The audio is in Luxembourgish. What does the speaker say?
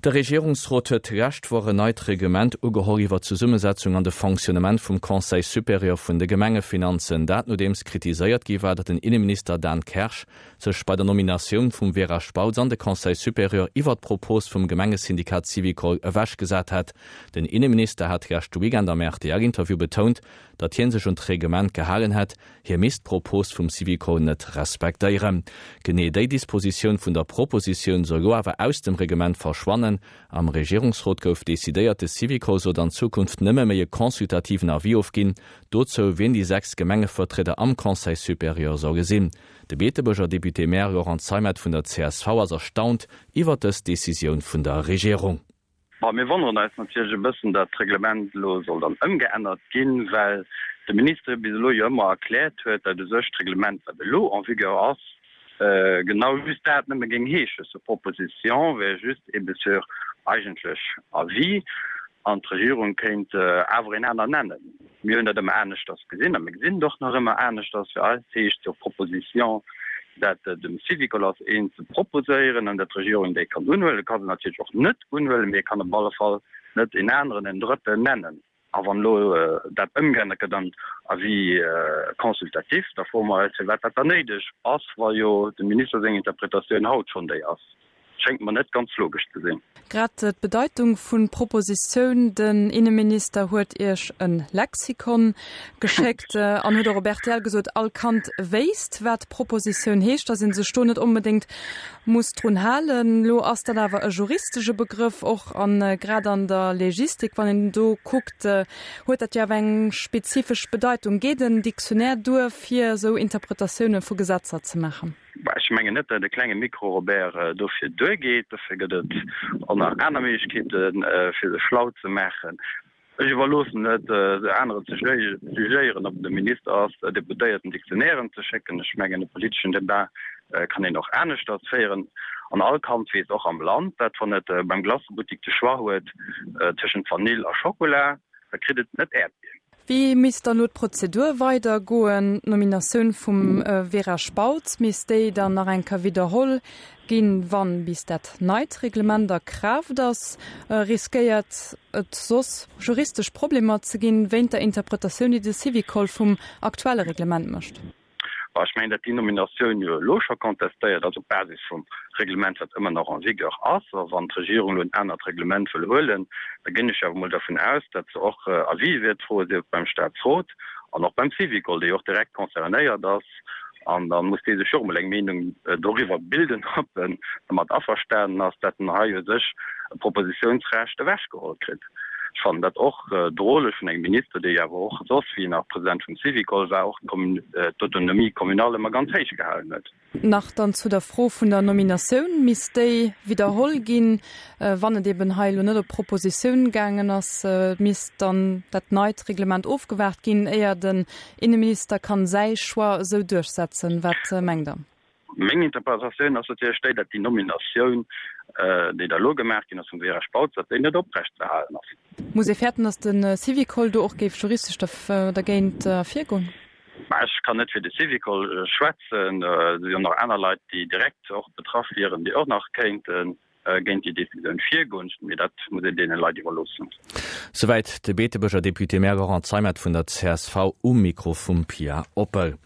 De Regierungsrot huet d'lescht Woch en neit Reglement ugeholl iwwer d'Zesummesetzung an de Fonctionnement vum Conseil supérieur vun de Gemengefinanzen. Dat nodeems kritiséiert gi war, datt den Inneminister Dan Kersch sech bei der Nominatioun vum Vera Spautz an de Conseil supérieur iwwer d'Propos vum Gemengesyndikat Syvicol ewechgesat hätt. Den Inneminister hat leschte Weekend am RTL-Interview betount, datt hie sech un d'Reglement gehalen hätt, Hie misst d'Propos vum Syvicol net respektéieren. Genee déi Dispositioun vun der Propositioun soll lo awer aus dem Reglement verschwannen. Am Regierungsrot gouf decidéiert, de Syvicol sollt an Zukunft nëmme méi e consultativen Avis ofginn, dozou wien déi 6 Gemengevertrieder am Conseil supérieur solle sinn. De Beetebuerger Député-maire Laurent Zeimet vun der csv ass erstaunt iwwer dës Decisioun vun der Regierung. Bon, mir wonneren eis natierlech e bëssen, datt d'Reglement elo soll dann ëmgeännert ginn, well de Minister bis elo jo ëmmer erkläert huet, datt u sech d'Reglement, wat elo en vigueur ass, genau just dat nëmme géing heeschen, sur proposition wär just ebe sur eigentlech Avis an d'Regierung kéint awer een aner nennen. Mir hunn dat ëmmer aneschters gesinn a mir gesinn et och nach ëmmer aneschters. Fir eis heescht sur proposition, dat dem Syvicol ass een ze proposéieren an dat d'Regierung déi kann unhuelen. E ka se natierlech och net unhuelen, mee e kann op alle Fall net een aneren, en Drëtten nennen. A wann elo dat ëmgeännert gëtt an Avis consultatif, da froe mer eis, firwat dat dann néideg ass, wa jo dem Minister seng Interpretatioun haut schonn déi ass. Schéngt mer net ganz logesch ze sinn. Grad d'Bedeitung vun Propositioun, Den Inneminister huet Iech e Lexikon geschéckt an huet och op rtl gesot, all Kand wéisst, wat Propositioun heescht, datt ee sech do net onbedéngt muss drun halen. Lo ass dat awer e juristesche Begrëff och a grad an der Legistik, wann een do kuckt, huet dat jo awer eng spezifesch Bedeitung. Geet en Dictionnaire duer, fir esou Interpretatioune vu Gesetzer ze maachen? Ech mengen net, datt e klenge Micro Robert dofir duergeet. Dofir gëtt et och nach aner Méiglechkeeten, fir sech schlau ze maachen. Ech iwwerloossen et aneren ze jugéieren, ob et e Minister ass, Deputéierten Dictionnairen ze schécken. Ech mengen, e politeschen Debat kann een och aneschters féieren. An all Kand weess och am Land, dat wann et beim Glacebuttik de Choix huet tëschent Vanill a Schokola, da kritt et net Äerdbier. Wéi misst dann elo d'Prozedur weidergoen? D'Nominatioun vum Vera Spautz, misst déi dann nach eng Kéier widderholl ginn, wann bis dat neit Reglement a Kraaft ass? Riskéiert et soss juristesch Problemer ze ginn, wéint der Interpretatioun, déi de Syvicol vum aktuelle Reglement mécht? Bon, ech mengen, datt déi Nominatioun jo elo scho contestéiert ass op Basis vum Reglement, wat ëmmer nach en vigueur ass. A wann d'Regierung elo en anert Reglement wëll huelen, da ginn ech awer emol dervun aus, datt se och Avis wäert froen, sief et beim Statsrot an och beim Syvicol, dee jo och direkt concernéiert ass. An da muss dee sech jo och emol eng Meenung doriwwer bilden, ob en domat averstanen ass, datt en hei u sech e Propositionsrecht ewechgeholl kritt. Ech fannen dat och droleg vun engem Minister, dee jo awer och soss, wéi en nach President vum Syvicol war, och d'Autonomie communale ëmmer ganz héich gehalen huet. Nach dann zu der Fro vun der Nominatioun, Misst déi widderholl ginn, wann et eben hei elo net op Propositioun gaangen ass? Misst dann dat neit Reglement ofgewaart ginn, éier den Inneminister kann säi Choix esou duerchsetzen? Wat mengt Der? Meng Interpretatioun ass natierlech déi, datt déi Nominatioun, déi da elo gemaach ginn ass vum Vera Spautz, datt déi net oprecht ze halen ass. Muss ee fäerten, datt de Syvicol do och géif juristesch dergéint virgoen? Mä ech kann net fir de Syvicol schwätzen. Et si jo nach aner Leit, déi direkt och betraff wieren, déi och nach kéinte géint déi Decisioun virgoen. Mee dat muss een deene Leit iwwerloossen. Souwäit de Beetebuerger Député-maire Laurent Zeimet vun der csv um Mikro vum Pia Oppel.